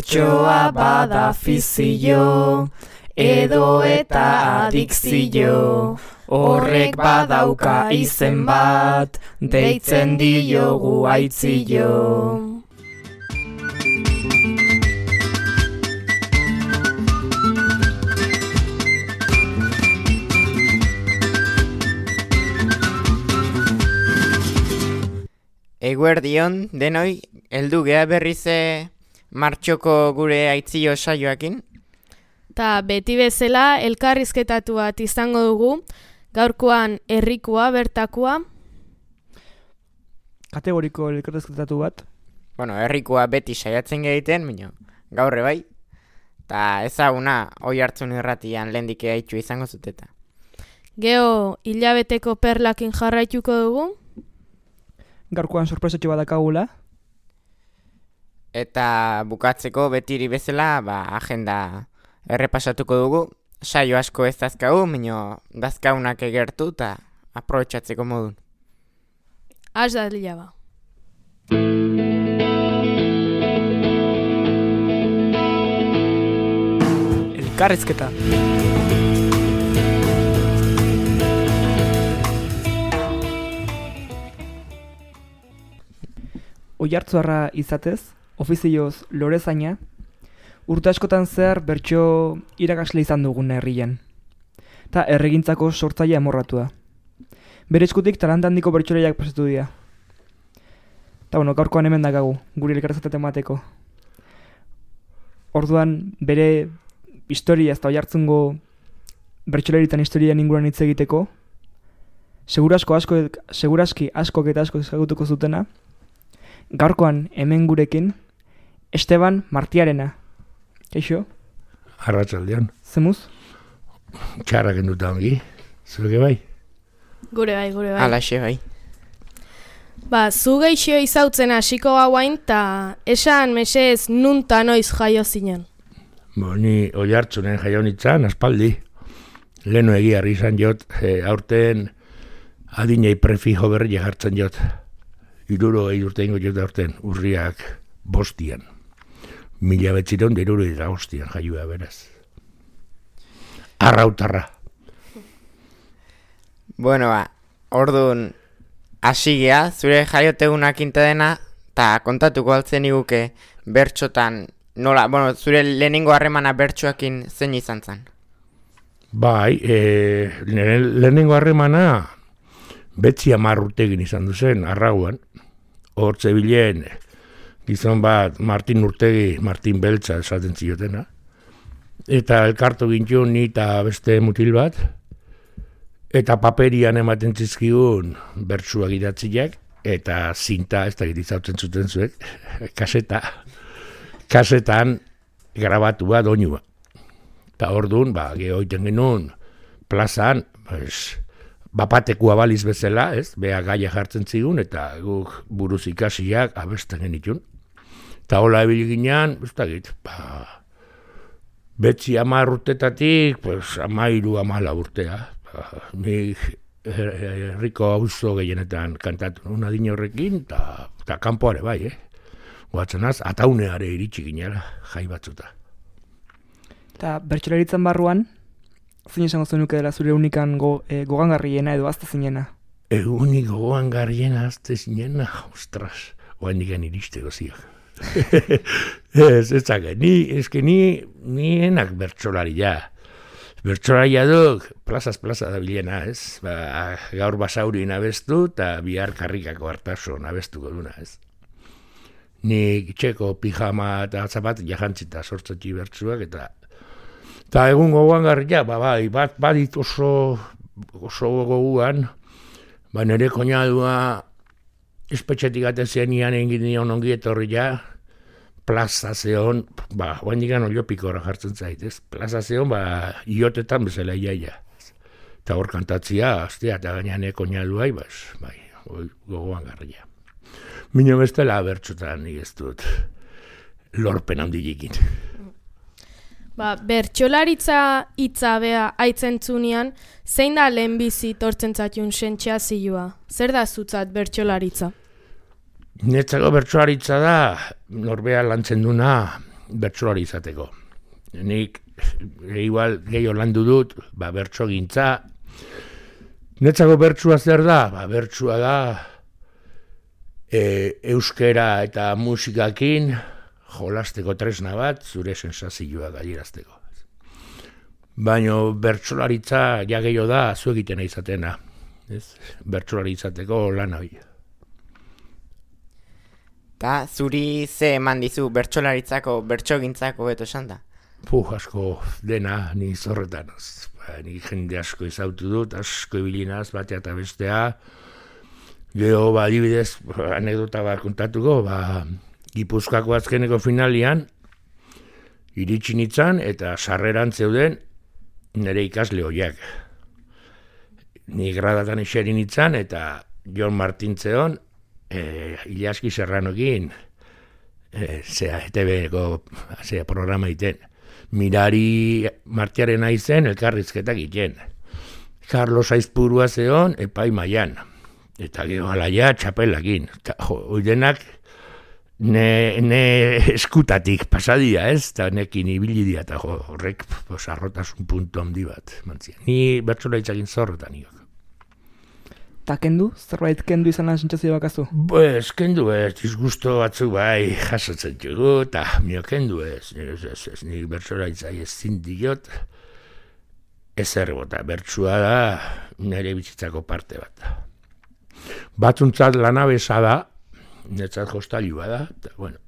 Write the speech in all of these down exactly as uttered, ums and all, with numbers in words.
Bertsoa bada fizio, edo eta adikzio. Horrek badauka izen bat, deitzen diogu aitzio. Eguerdion, denoi, heldu gea berrize martxoko gure aitzio saioakin. Ta beti bezala elkarrizketatu bat izango dugu, gaurkoan herrikoa bertakoa. Kategoriko elkarrizketatu bat. Bueno, herrikoa beti saiatzen egiten, baina gaurre bai. Ta ezaguna oi hartzun irratian lehendik haitxu izango zuteta. Geo hilabeteko perlakin jarraituko dugu. Gaurkoan sorpresatxo bat dakagula. Eta bukatzeko betiri bezala, ba, agenda errepasatuko dugu. Saio asko ez dazkagu, mino dazkaunak egertu eta aprobetxatzeko modun. Az da lila ba. Elkarrizketa. Oiartzuarra izatez, ofizioz lorezaina, urte askotan zehar bertso irakasle izan dugun herrian. Ta erregintzako sortzaile amorratua. Bere eskutik talanta handiko bertsolariak pasatu dira. Ta bueno, gaurkoan hemen dakagu, guri elkarrizketa emateko. Orduan bere historia ez da oiartzungo bertsolaritan historian inguruan hitz egiteko, segurasko asko, seguraski askok eta asko ezagutuko zutena, gaurkoan hemen gurekin, Esteban Martiarena. Kaixo? Arratsaldean. Zemuz? Txarrak enduta ongi. Zuke bai? Gure bai, gure bai. Alaxe bai. Ba, zu geixio izautzen hasiko gauain, ta esan mesez nunta noiz jaio zinen. Bo, ni oi hartzunen jaio nintzen, aspaldi. Leno egiarri izan jot, e, aurten adinei prefijo berri jartzen jot. Iruro egin urte ingo jota urten, urriak bostian. Mila betziron da iruro eta bostian jaioa beraz. Arrautarra. Bueno, ba, orduan hasigea, zure jaiotegunak inta dena, eta kontatuko altzen iguke bertxotan, nola, bueno, zure lehenengo harremana bertxoakin zein izan zen? Bai, e, lehenengo harremana betzi hamar urtegin izan duzen, arrauan. Hortze bilen, gizon bat, Martin Urtegi, Martin Beltza esaten ziotena. Eta elkartu gintun ni eta beste mutil bat. Eta paperian ematen zizkigun bertsuak idatziak. Eta zinta, ez da gitizautzen zuten zuek, kaseta. Kasetan grabatua doinua. Eta orduan, ba, gehoiten genuen plazan, pues, bapatekua baliz bezala, ez, beha gaia jartzen zigun, eta guk buruz ikasiak abesten genitun. Eta hola ebili ginean, ez da git, ba, betzi hamar urtetatik, pues, amairu amala urtea. Ba, nik herriko auzo gehienetan kantatu nuen adin horrekin, eta kanpoare bai, eh? Guatzenaz, atauneare iritsi ginela, jai batzuta. Eta bertsolaritzan barruan, zein esango zenuke dela zure unikan go, e, gogangarriena edo azte zinena? Egunik gogangarriena azte zinena, ostras, oain digan iristeko ziak. ez, ez zake, ni, eske ni, ni enak bertsolaria. Bertsolaria duk, plazaz plaza da bilena, ez? Ba, gaur basaurin abestu eta bihar karrikako hartasun abestuko duna, ez? Nik txeko pijama eta zapat jajantzita sortzatzi bertsuak eta eta egun gogoan garria, ba, bai, bat badit oso, oso goguan, ba, nire koinadua espetxetik atezenian egin nion ongi etorri ja, plaza zeon, ba, oain digan oliopikora jartzen zaitez, plaza zeon, ba, iotetan bezala iaia. Eta hor kantatzia, aztea, eta gainean koinaduai, ba, bai, gogoan garria. Mino bestela bertxotan nik ez dut lorpen handilikin. Ba, bertsolaritza hitza bea aitzentzunean, zein da lehenbizi tortzen zatiun sentzea zilua? Zer da zutzat bertsolaritza? Netzako bertsolaritza da, norbea lantzen duna, bertsolari izateko. Nik igual gehiago landu dut, ba, bertso gintza. Netzako bertsua zer da? Ba, bertsua da e, euskera eta musikakin jolasteko tresna bat, zure sensazioa gainerazteko. Baina bertsolaritza ja gehiago da zu egiten izatena. Ez? Bertsolari izateko lan hori. Ta zuri ze eman dizu bertsolaritzako, bertsogintzako beto esan da? Puh, asko dena ni zorretan. Ba, ni jende asko izautu dut, asko ibilinaz, batea eta bestea. Gero, ba, adibidez, anekdota bat kontatuko, ba, Gipuzkoako azkeneko finalian, iritsi nintzen eta sarreran zeuden nire ikasle horiak. Ni gradatan eseri nintzen eta Jon Martintzeon, e, Ilaski Serranokin, e, zera, E T B-ko zera, programa iten. Mirari Martiaren aizen elkarrizketak iten. Carlos Aizpurua zeon epai maian. Eta gero alaia txapelakin. Oidenak ne, ne eskutatik pasadia ez, eta nekin ibili dia, eta horrek arrotasun puntu handi bat. Mantzia. Ni bertsolaritzak zorretan niok. Ta kendu? Zerbait kendu izan lan sentsazio bakazu? Pues, kendu ez, disgusto batzuk bai jasotzen dugu, eta mio kendu ez, ez, ez, ez nik bertsolaritzak ez zindiot, ez erbota, bertsua da nire bizitzako parte bat. Batzuntzat lanabesa da, netzat jostailua da, eta, bueno,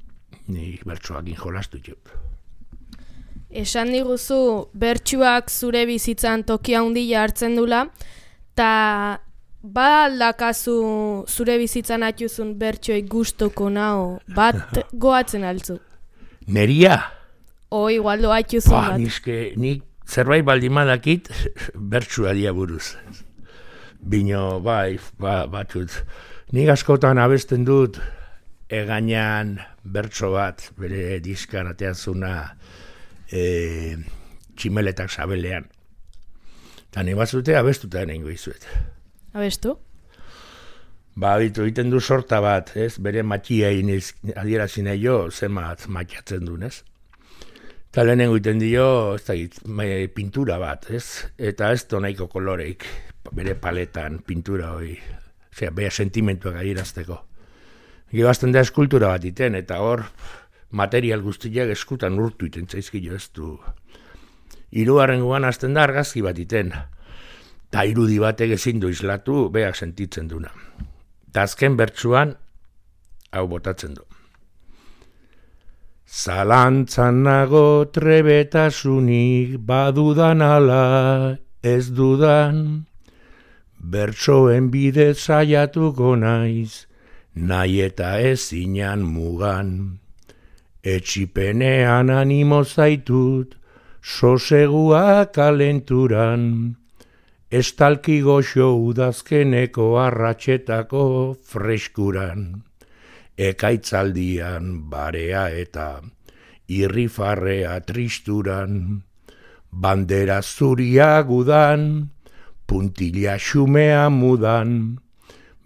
nik bertsoakin jolastu dut. Esan diguzu, bertsuak zure bizitzan tokia handia hartzen dula, eta ba aldakazu zure bizitzan atxuzun bertxoi gustoko nao, bat goatzen altzu? Neria? O, igual doa atxuzun ba, bat. Nizke, nik zerbait baldimadakit bertsua dia buruz. Bino, bai, ba, batut. Nik askotan abesten dut egainan bertso bat, bere diskan ateazuna e, tximeletak sabelean. Eta ni batzute abestuta nengo izuet. Abestu? Ba, bitu, egiten du sorta bat, ez? Bere matxia iniz adierazin jo, zemat matxatzen duen, ez? Eta lehenengo egiten dio, ez da, pintura bat, ez? Eta ez donaiko koloreik, bere paletan, pintura hori, osea, bere sentimentuak adierazteko. Gero azten da eskultura bat iten, eta hor, material guztiak eskutan urtu iten zaizkio ez du. Hirugarren guan azten da argazki bat iten. Ta irudi batek ezin du islatu, beak sentitzen duna. Ta azken bertsuan, hau botatzen du. Zalantzan nago trebetasunik badudan ala ez dudan, bertsoen bidez saiatuko naiz, nahi eta ezinan mugan. Etxipenean animo zaitut, sosegua kalenturan, estalki goxo udazkeneko arratxetako freskuran, ekaitzaldian barea eta irrifarrea tristuran, bandera zuria gudan, puntila xumea mudan,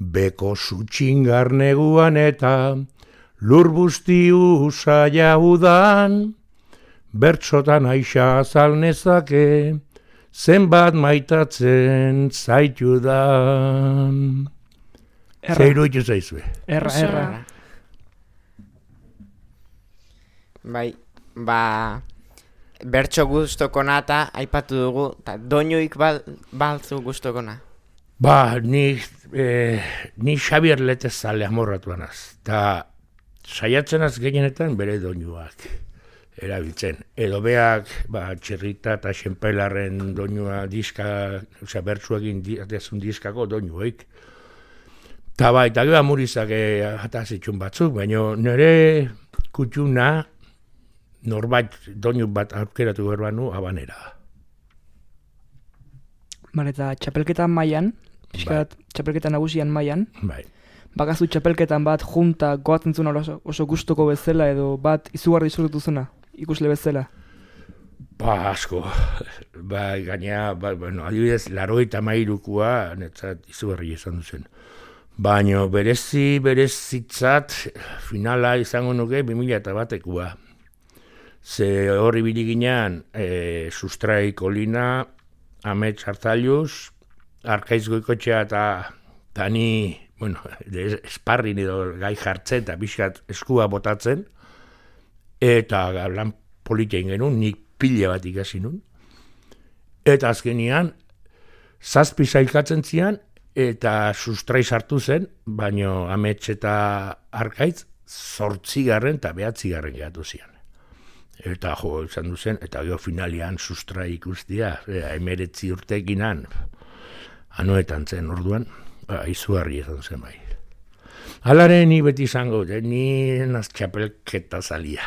beko zutxingar neguan eta lur busti usaia udan, bertsotan aixa azalnezake, zenbat maitatzen zaitudan. Zeiru itu zaizue. Erra, erra. Bai, ba, bertso guztokona eta aipatu dugu, eta doinuik bal, balzu guztokona. Ba, ni, eh, ni Xabier Letezale amorratuanaz, eta saiatzen az gehienetan bere doinuak erabiltzen. Edo beak, ba, Txirrita eta Xenpelarren doinua diska, osea, bertsuekin diazun diskako doinuek. Ta bai, eta gero amurizak atazitxun batzuk, baina nire kutxuna norbait doinu bat aukeratu berbanu abanera. Bale, eta txapelketan mailan, pixkat txapelketan nagusian mailan, Bai. bakazu txapelketan bat junta goatzen zuen oso, oso gustoko bezala edo bat izugarri disfrutatu zuna, ikusle bezala. Ba, asko. Ba, gaina, ba, bueno, adibidez, larogeita hamairukua netzat izugarri izan duzen. Baina berezi, berezitzat, finala izango nuke bi mila eta batekua. Ze hori biliginean, e, Sustrai Kolina, Amets Artailuz, Arkaiz Goikotxea eta tani, bueno, esparrin edo gai jartzen eta pixkat eskua botatzen, eta lan politia ingenun, nik pila bat ikasi nun. Eta azkenian, zazpi sailkatzen zian, eta Sustrai sartu zen, baino Amets eta Arkaitz zortzigarren eta behatzigarren gehatu zian. Eta jo, izan duzen, eta gero finalian Sustrai ikustia, emeretzi urtekinan, anoetan zen orduan, ba, izugarri izan zen bai. Halare ni beti izango, eh, ni naz txapelketa zalia.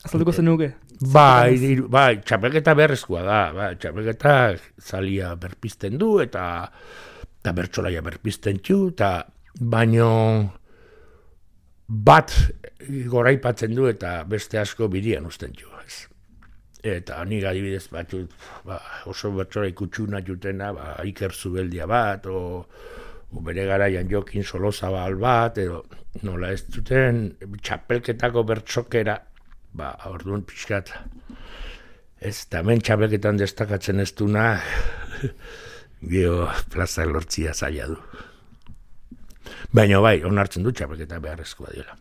Azalduko zenuke? Bai, bai, txapelketa beharrezkoa da, bai, txapelketa zalia berpizten du, eta, eta bertsolaia berpizten txu, eta baino bat goraipatzen du eta beste asko bidian usten txu. Ez. Eta nik adibidez batut, ba, oso bertsolai kutsuna jutena, ba, Iker Zubeldia bat, o, o bere garaian Jokin Solozabal bat, edo nola ez zuten txapelketako bertsokera, ba, orduan pixkat, ez, eta hemen txapelketan destakatzen ez duna, geho plaza lortzia zaila du. Baina bai, onartzen dut txapelketa beharrezkoa dela.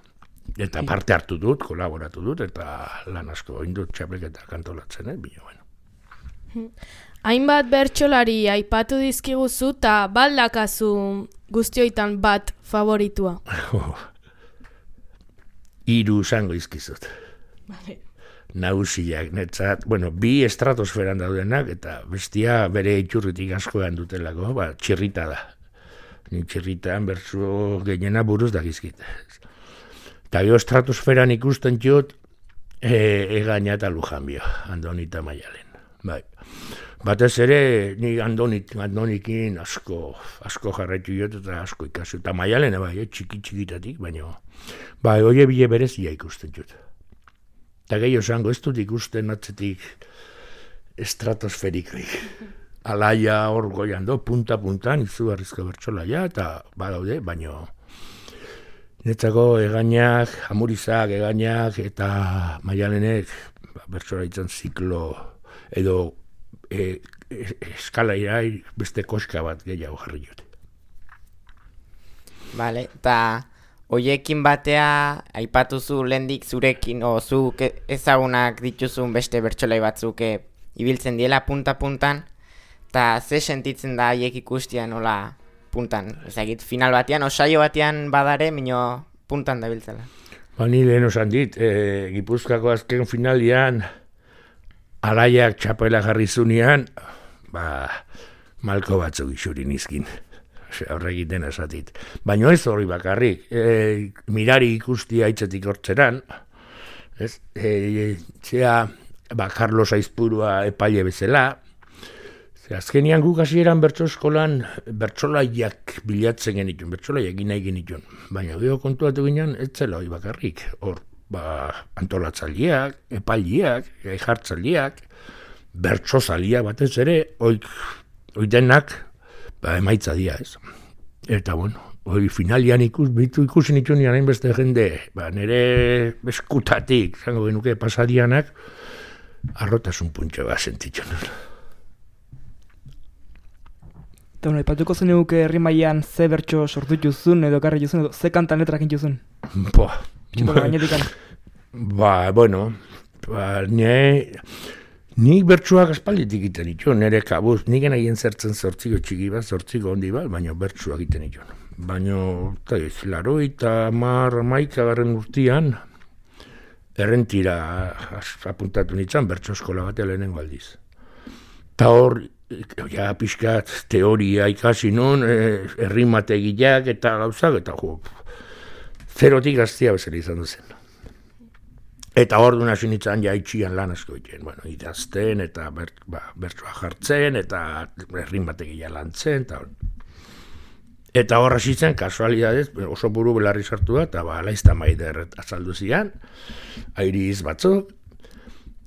Eta parte hartu dut, kolaboratu dut, eta lan asko indut txapelketa kantolatzen, eh? Bino, bueno. Hainbat bertsolari aipatu dizkiguzu eta baldakazu guztioitan bat favoritua. Hiru zango izkizut. Vale. Nausiak, netzat, bueno, bi estratosferan daudenak, eta bestia bere itxurritik askoan dutelako, ba, txirrita da. Ni txirritan bertso gehiena buruz dakizkit. Eta gero estratosferan ikusten jut, e, egaina eta Lujanbio, Andoni eta Maialen. Bai. Batez ere, ni Andonik, Andonikin asko, asko jarraitu jut eta asko ikasu. Eta Maialen, bai, eh, txiki txikitatik, baina, bai, oie bile berezia ikusten jut. Eta gehiago zango, ez dut ikusten atzetik estratosferikoik. Alaia hor goian do, punta-puntan, izugarrizko bertsolaia, eta badaude, baino netzako egainak, amurizak, egainak, eta Maialenek ba, bertsolaitzen ziklo edo e, e, eskala irai beste koska bat gehiago jarri jute. Vale, eta hoiekin batea aipatuzu lehendik zurekin, o zuk ezagunak dituzun beste bertsolai batzuk ibiltzen diela punta-puntan, eta ze sentitzen da haiek ikustia nola puntan, ezagit, final batean, osaio batean badare, mino puntan da biltzela. Ba, ni lehen osan dit, e, Gipuzkoako azken finalian, alaiak txapela jarri zunean, ba, malko batzuk isurin izkin. Horregiten esatit. Baina ez hori bakarrik, e, mirari ikustia hitzetik hortzeran, ez, e, zea, ba, Carlos Aizpurua epaile bezala, azkenian guk hasieran bertso eskolan bertsolaiak bilatzen genitun, bertsolaiak egin nahi genitun. Baina gero kontuatu ginen, ez zela hori bakarrik. Hor, ba, antolatzaileak, epailiak, jartzaileak, bertsozaliak batez ere, oik, oik denak, ba, emaitza dia, ez. Eta, bueno, hori finalian ikus, bitu ikusi nituen hain beste jende, ba, nire eskutatik, zango genuke pasadianak, arrotasun puntxo bat sentituen. Eta bueno, ipatuko zenuke herri mailan ze bertso sortu juzun edo karri juzun edo ze kantan letrak juzun? Ba, ba, ba, bueno, ba, ne, nik bertsuak aspalditik egiten dituen, nire kabuz, nik egin zertzen zortziko txiki bat, zortziko hondi bat, baina bertsuak egiten dituen. Baina, eta ez, laro eta mar maika garren urtian, errentira apuntatu nintzen bertso eskola bat lehenengo aldiz. Eta hor, ja, pixkat teoria ikasi nun, errimategiak eta gauzak, eta jo, zerotik gaztia bezala izan duzen. Eta hor duna sinitzen ja itxian lan asko egiten, bueno, idazten eta ber, ba, bertsoa jartzen, eta errimategia lantzen, eta hor. Eta hor hasitzen, kasualidadez, oso buru belarri sartu da, eta ba, laizta maider azaldu zian, airiz batzuk,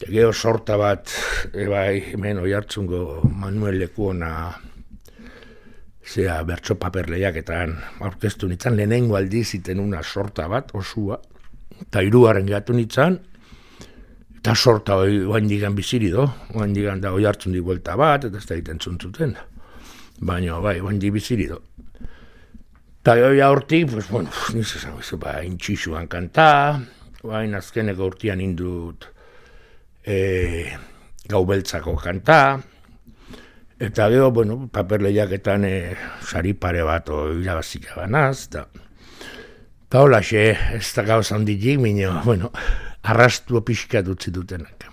gero sorta bat, ebai, hemen oi hartzungo Manuel Lekuona, zea, bertso paperleiaketan aurkeztu nintzen, lehenengo aldiz iten una sorta bat, osua, eta hiruaren gehatu nintzen, Eta sorta hori oain digan biziri do, oain digan da hoi hartzun di buelta bat, eta ez da egiten zuntzuten. Baina, bai, oain di biziri do. Eta hori hortik, pues, bueno, niz esan, ba, intxixuan kanta, oain azkeneko urtean indut e, gau beltzako kanta, eta gero, bueno, paper lehiaketan e, sari pare bat irabazika banaz, eta eta hola xe, ez da gauza handitik, minio, bueno, arrastu pixkat utzi dutenak.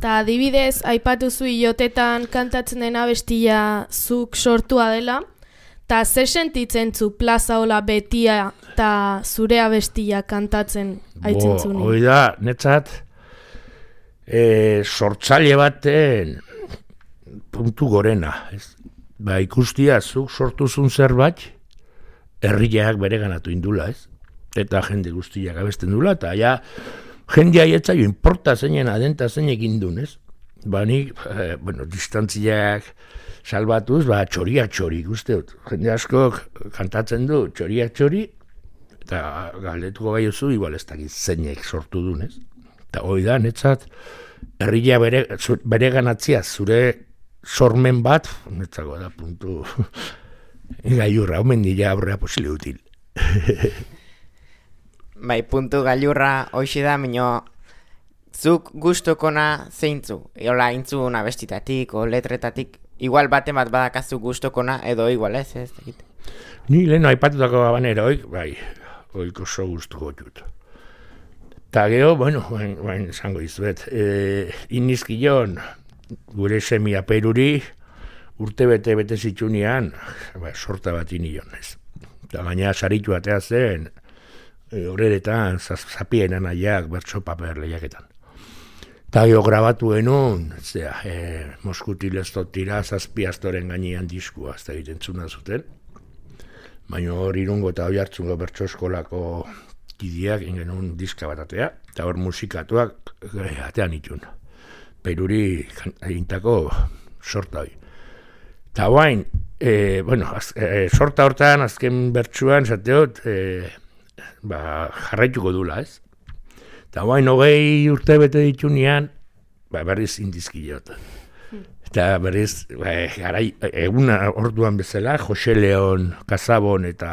Ta adibidez, aipatu zu iotetan kantatzen den abestia zuk sortua dela, ta zer sentitzen zu plaza hola betia eta zure abestia kantatzen aitzen zuni? Bo, hoi da, netzat, e, sortzaile baten puntu gorena. Ez? Ba, ikustia, zuk sortuzun zerbait, herriak bere ganatu indula, ez? Eta jende guztiak abesten dula, eta ja, jende aietza jo, importa zeinen adenta zeinek indun, ez? Ba, nik, eh, bueno, distantziak salbatuz, ba, txoriak txori, ikusteot. Jende askok kantatzen du, txoriak txori, eta galdetuko gai oso, igual ez dakit zeinek sortu dun, ez? Eta hoi da, netzat, herria bere, bere ganatzia, zure sormen bat, netzako da, puntu, gailurra, omen dira aurrea posile util. Bai, puntu gailurra hoxe da, minio, zuk gustokona zeintzu, eola intzun abestitatik o letretatik, igual baten bat badakazu gustokona, edo igual ez, ez dakit. Ni lehen aipatutako abanera, oik, bai, oik oso gustuko dut. Ta gero, bueno, bain, bain esango izuet, e, inizkion, gure semia peruri, urte bete bete zitsunean, ba, sorta bat inion, ez. Eta gaina saritu atea zen, e, horretan, zapien anaiak, bertso paper lehiaketan. Eta gero grabatu enun, zera, e, Moskutil ez tira, zazpi astoren gainean diskua, ez da egiten zuna zuten. Baina hor irungo eta hoi hartzungo bertso eskolako kideak ingenun diska bat atea, eta hor musikatuak e, atean itun. Peruri egintako sorta hori. Eta guain, e, bueno, az, e, sorta hortan, azken bertsuan, zateot, e, ba, jarraituko dula, ez? Eta guain, hogei urte bete ditunean, ba, berriz indizkileot. Eta berriz, ba, garai, eguna orduan bezala, Jose Leon, Kasabon eta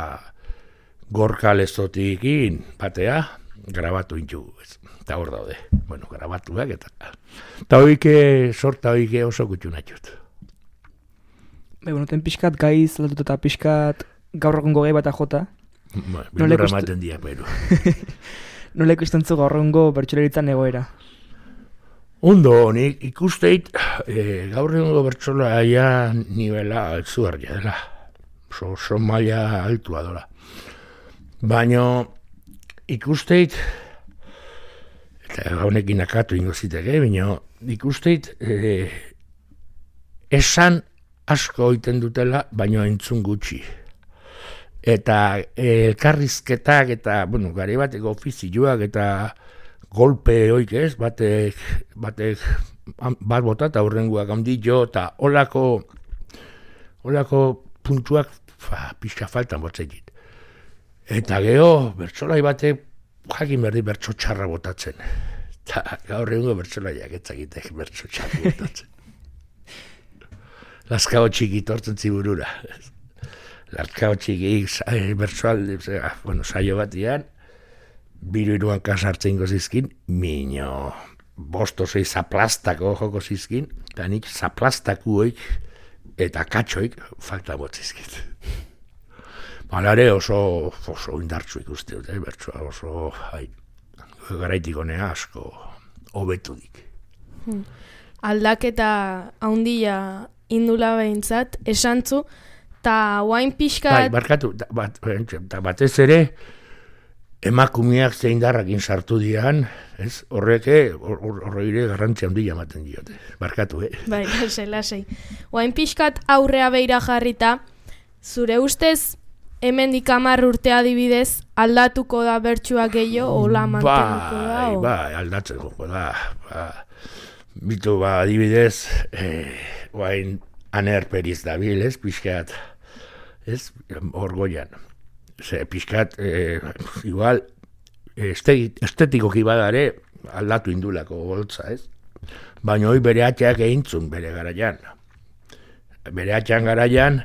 Gorka Lezotikin batea, grabatu intu, ez? Eta hor daude, bueno, grabatuak eta... Eta hoike, sorta hoike oso gutxu natxut. Bai, bueno, ten pixkat gaiz, aldatu eta pixkat gaur egungo gai bat jota. Ba, Bilurra ematen dia, pero... Nola ikusten zu gaur egungo bertsolaritzan egoera? Ondo, nik ikusteit, e, gaur egungo bertsolaria nivela altzugarria dela. Oso, oso maila altua dola. Baina ikusteit, eta honekin akatu ingo ziteke, baina ikusteit, e, esan asko egiten dutela, baina entzun gutxi. Eta elkarrizketak eta, bueno, gari bateko ofizioak eta golpe hoik ez, batek, batek bat bota eta hurrenguak handi jo, eta olako, olako puntuak fa, pixka faltan botzekit. Eta geho, bertsolai batek jakin berdi bertso txarra botatzen. Eta gaur egungo bertsolaiak etzakitek bertso txarra botatzen. Lazkao txiki tortzen ziburura. Lazkao txiki bertsoaldi, bueno, saio batian, biru iruan kasartzen gozizkin, minio, bosto zei zaplastako joko zizkin, eta nik zaplastakuoik eta katxoik falta botzizkit. Balare oso, oso indartzu ikuste dut, eh, bertsoa oso, hai, garaitik honea asko hobetudik. Hmm. Aldaketa haundia indula behintzat, esantzu, eta guain pixkat... Bai, barkatu, da, bat, da, batez ere, emakumeak zein darrakin sartu dian, ez, horreke, horreire garrantzi handia ematen diote, barkatu, eh? Bai, lasei, lasei. Guain pixkat aurrea beira jarrita, zure ustez, hemendik hamar urte adibidez, aldatuko da bertsua gehiago, ola mantenuko da? Bai, bai, aldatzeko da, ba, bitu, ba, adibidez, eh, guain anerperiz dabil, ez, pixkat, ez, orgoian. Ze, pixkat, eh, igual, estetikoki badare, aldatu indulako boltza, ez? Baina hoi bere atxeak egintzun bere garaian. Bere atxean garaian,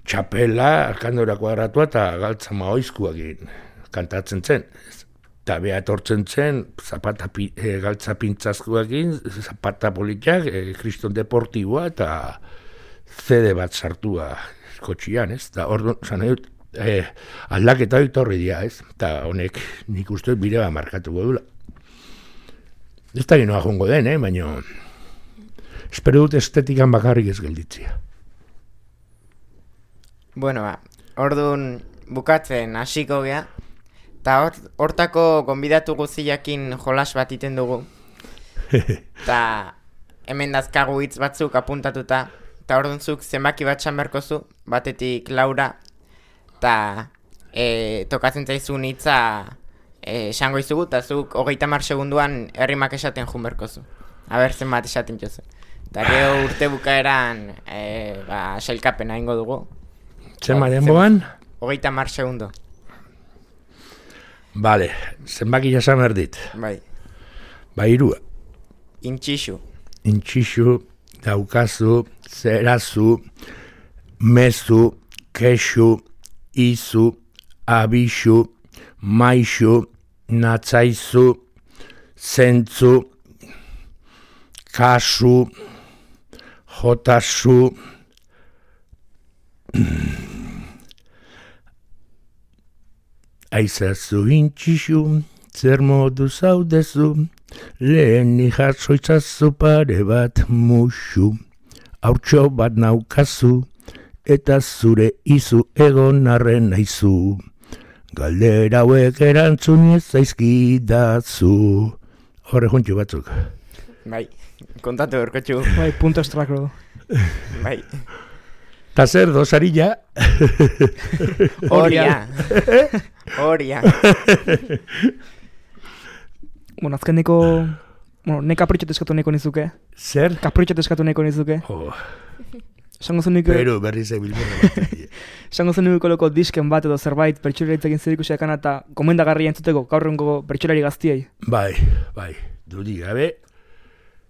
txapela, arkandora kuadratua eta galtza maoizkuak egin kantatzen zen. Eta beha etortzen zen, zapata e, galtza pintzazkuak egin, zapata politiak, e, kriston deportiboa eta zede bat sartua kotxian, ez? Eta hor, zan edut, e, aldaketa hori torri dira, ez? Eta honek nik uste bire bat markatuko dula. Ez da ginoa jongo den, eh? Baina espero dut estetikan bakarrik ez gelditzia. Bueno, ba, orduan bukatzen hasiko gea, eta hortako gonbidatu guztiakin jolas bat iten dugu. Eta hemen dazkagu hitz batzuk apuntatuta, eta orduan zuk zenbaki bat txanberko zu, batetik Laura, eta e, tokatzen zaizun hitza esango e, izugu, eta zuk hogeita hamar segunduan herrimak esaten junberko zu. Aber zenbat esaten jozu. Eta gero urte bukaeran e, ba, sailkapena ingo dugu. Zenbat denboan? Hogeita hamar segundo. Bale, zenbaki jasan erdit. Bai. Ba, irua. Intxixu. Intxixu, daukazu, zerazu, mezu, kexu, izu, abixu, maixu, natzaizu, zentzu, kasu, jotasu, aizazu intxixu, zer modu zaudezu, lehen ijartzoitzazu pare bat musu, haurtxo bat naukazu, eta zure izu egon arren naizu. Galdera hauek erantzun ez zaizkidazu. Horre juntxu batzuk. Bai, kontatu berkotxu. Bai, punto estrakro. Bai. Ta zer dosarilla? Horia. Horia. Bueno, azkeneko... Bueno, ne kapritxot eskatu neko nizuke. Zer? Kapritxot eskatu neko nizuke. Oh. Esango zen nuke... Pero berri zebilborra bat. Esango zen nuke koloko disken bat edo zerbait pertsolaritzekin zerikusiak eta gomendagarria entzuteko gaurrengo pertsolari gaztiei. Bai, bai, dudi gabe.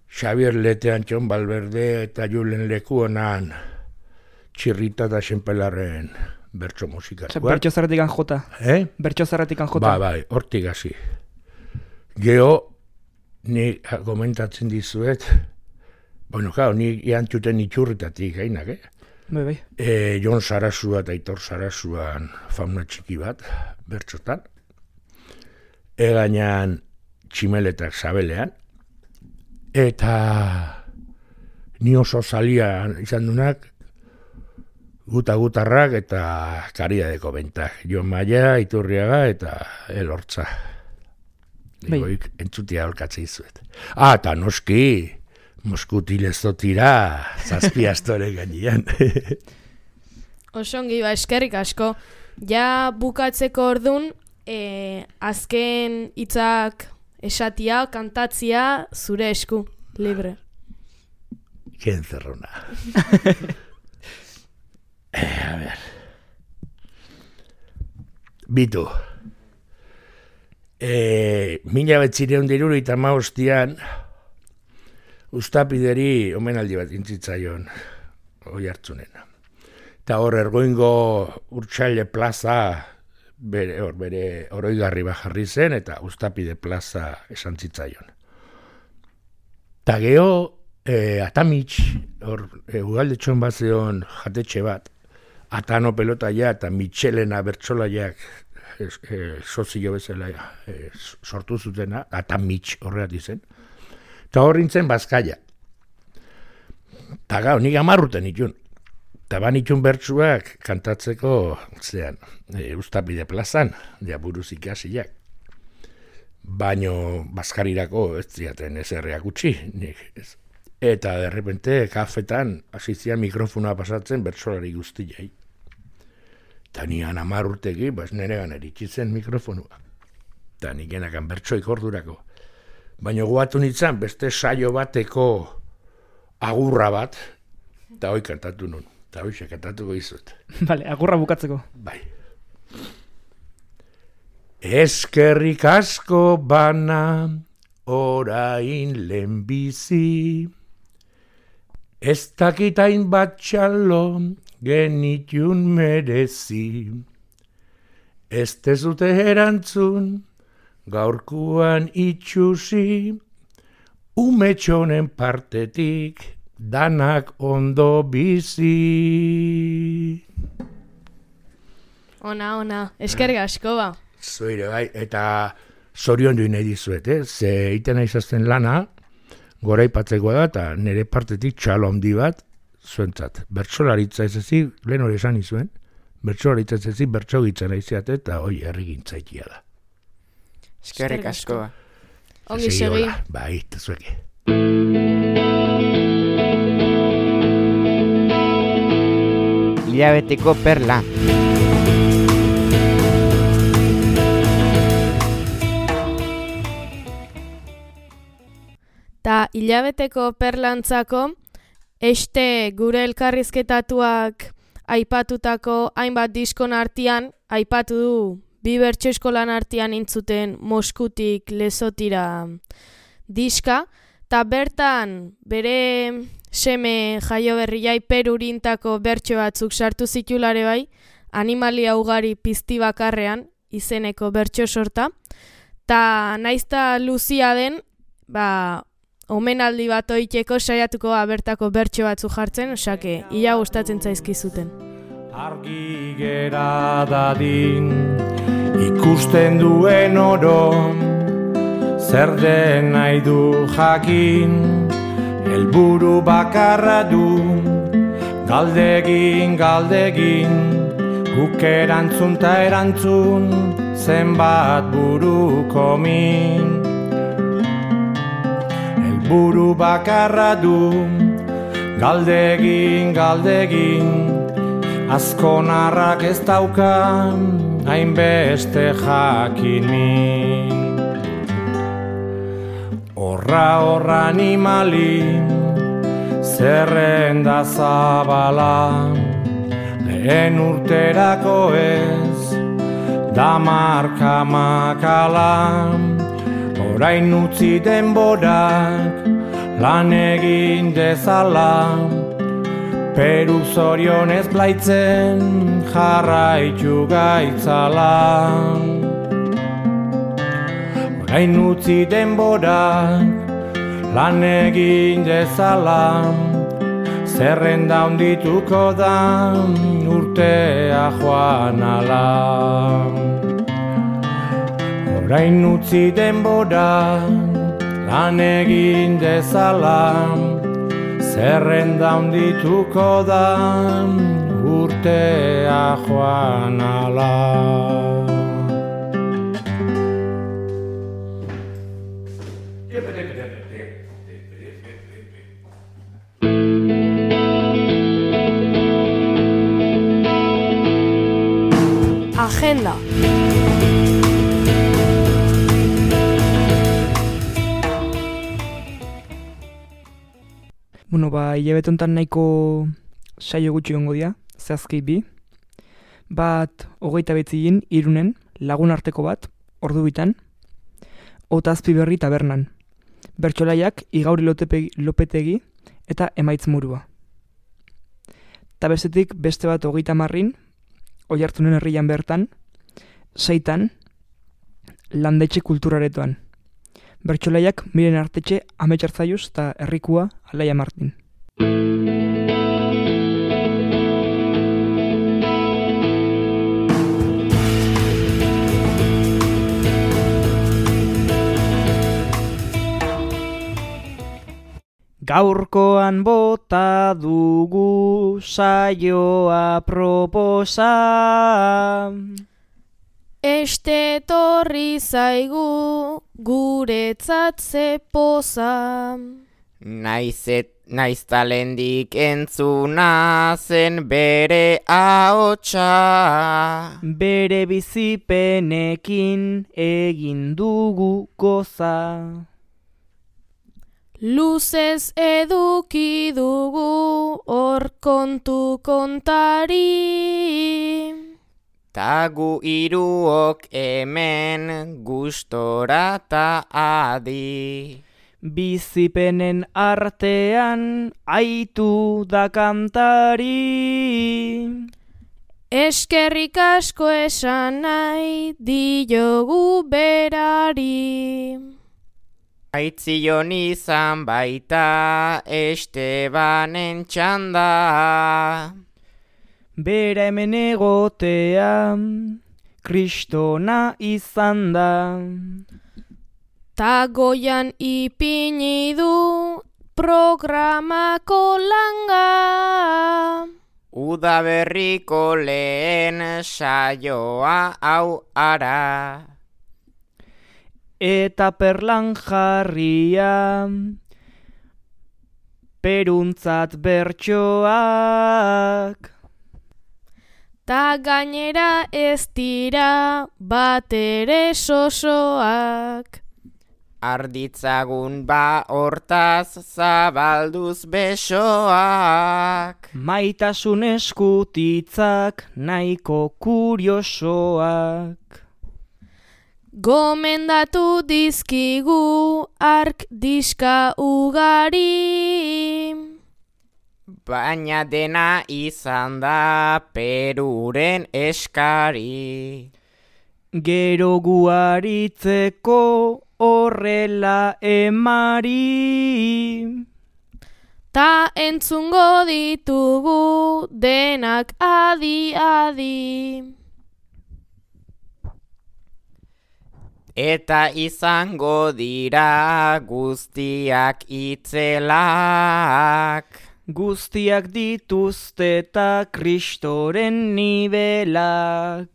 Xavier Leteantxon Balberde eta Julen Leku honan txirrita da xenpelarren bertso musika. Osa, bertso zerretik jota. Eh? Bertso zerretik jota. Bai, bai, hortik hasi. Geo, ni komentatzen dizuet, bueno, claro, ni iantxuten itxurritatik gainak, eh? Bai, bai. E, Jon Sarasua eta Aitor Sarasuan fauna txiki bat, bertxotan. Egainan tximeletak sabelean. Eta ni oso zalia izan dunak, guta-gutarrak eta kariadeko bentak. Jon Maia, Iturriaga eta Elortza. Digoik, entzutia holkatze izuet. Ah, eta noski, Moskutil ez dotira, zazpi astore gainean. Osongi, ba, eskerrik asko. Ja bukatzeko ordun, e, azken hitzak esatia, kantatzia, zure esku, libre. Ken zerrona. eh, a ver. Bitu. Eh, mila betzireun diruru eta maostian, Uztapideri omenaldi bat intzitzaion oi hartzunen. Eta hor ergoingo Urtsaile plaza bere, or, bere oroigarri bajarri zen eta Uztapide plaza esan zitzaion. Eta geho e, Atamits, hor e, ugaldetxon bat zeon jatetxe bat, Atano pelotaia eta Mitxelena bertsolaiak e, e, sozio bezala e, sortu zutena, Atamits horreat izen. Eta horrintzen Bazkaia. Eta gau, nik amarruten itun. Eta ban itun bertsuak kantatzeko, zean, e, Uztapide plazan, ja buruz ikasiak. Baino Bazkarirako ez ziaten ezerreak utzi, nik ez. Eta derrepente kafetan hasizian mikrofonoa pasatzen bertsolari guztiai. Eta nian amarrutegi, bas neregan eritxitzen mikrofonua. Eta nik enakan bertsoik ordurako. Baina guatu nintzen beste saio bateko agurra bat, eta hoi kantatu nun, eta hoi kantatuko izut. Bale, agurra bukatzeko. Bai. Eskerrik asko bana, orain lehenbizi. Ez dakitain bat txalo genitun merezi. Ez tezute erantzun gaurkuan itxusi, umetxonen partetik danak ondo bizi. Ona, ona, eskerrik asko ba. Zoire bai, eta zorion duin nahi dizuet, eh? Ze iten aizazten lana, gora ipatzeko da, eta nire partetik txalo handi bat, zuentzat. Bertsolaritza ez ezik, lehen hori esan izuen, bertsolaritza ez ezik, bertsogitzen aiziate, eta hoi errigintzaikia da. Eskerrik asko. Ongi segi. Bai, eta zueke. Hilabeteko perla. Ta hilabeteko perlantzako, este gure elkarrizketatuak aipatutako hainbat diskon artean, aipatu du bi bertso eskolan artean intzuten Moskutik Lezotira diska, ta bertan bere seme jaio berriai perurintako bertso batzuk sartu zitulare bai, animalia ugari pizti bakarrean izeneko bertso sorta, ta naizta luzia den, ba, omenaldi bat oiteko saiatuko bertako bertso batzu jartzen, osake, ia gustatzen zaizkizuten. Argi gera dadin, ikusten duen oro, zer den nahi du jakin, helburu bakarra du, galdegin, galdegin, guk erantzun ta erantzun, zenbat buruko min. Helburu bakarra du, galdegin, galdegin, azkonarrak ez daukan, hainbeste jakin min. Horra horra animali, zerrenda zabala, lehen urterako ez, da marka makala, orain utzi denborak, lan egin dezala, Peru zorionez blaitzen jarraitu gaitzala. Orain utzi denborak lan egin dezala, zerrenda handituko da urtea joan ala. Orain utzi denborak lan egin dezala, zerrenda handituko da urtea joan ala. Agenda. Bueno, ba, hilabete honetan nahiko saio gutxi gongo dira, zehazki bi. Bat, hogeita betzigin, Irunen, lagun arteko bat, ordu bitan. Otazpi berri tabernan. Bertsolaiak, Igauri Lopetegi eta Emaitz Murua. Ta bestetik, beste bat hogeita marrin, Oiartzunen herrian bertan, seitan, Landetxe kulturaretoan. Bertsolaiak Miren Artetxe, Ametxartzaiuz eta Herrikua Alaia Martin. Gaurkoan bota dugu saioa proposa. Este torri zaigu guretzat ze poza. Naizet, naiz talendik entzuna zen bere ahotsa. Bere bizipenekin egin dugu goza. Luzez eduki dugu hor kontu kontari. Ta gu hiruok hemen gustora ta adi. Bizipenen artean aitu da kantari. Eskerrik asko esan nahi diogu berari. Aitzion izan baita Estebanen txanda. Bera hemen egotea kristona izan da. Ta goian ipini du programako langa. Udaberriko lehen saioa hau ara. Eta perlan jarria peruntzat bertsoak. Ta gainera ez dira batere sosoak. Arditzagun ba hortaz zabalduz besoak. Maitasun eskutitzak nahiko kuriosoak. Gomendatu dizkigu ark diska ugari. Baina dena izan da Peruren eskari. Gero guaritzeko horrela emari. Ta entzungo ditugu denak adi-adi. Eta izango dira guztiak itzelak. Guztiak dituzte ta kristoren nibelak.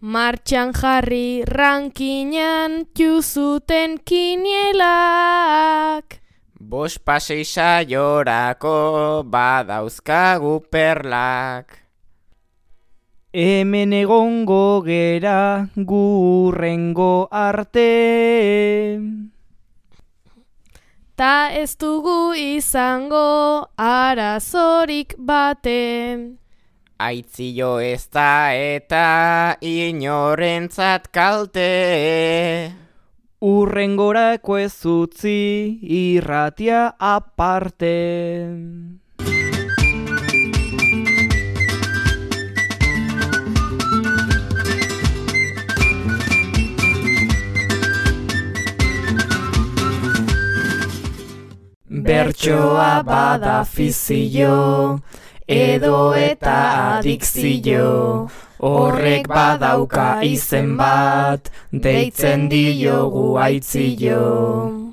Martxan jarri rankinan txuzuten kinielak. Bos pasei saiorako badauzkagu perlak. Hemen egongo gera gurrengo arte. Ta ez dugu izango arazorik bate. Aitzio ez da eta inorentzat kalte. Urrengorako ez utzi irratia aparte. Bertsoa bada fizio, edo eta adikzio. Horrek badauka izen bat, deitzen diogu aitzio.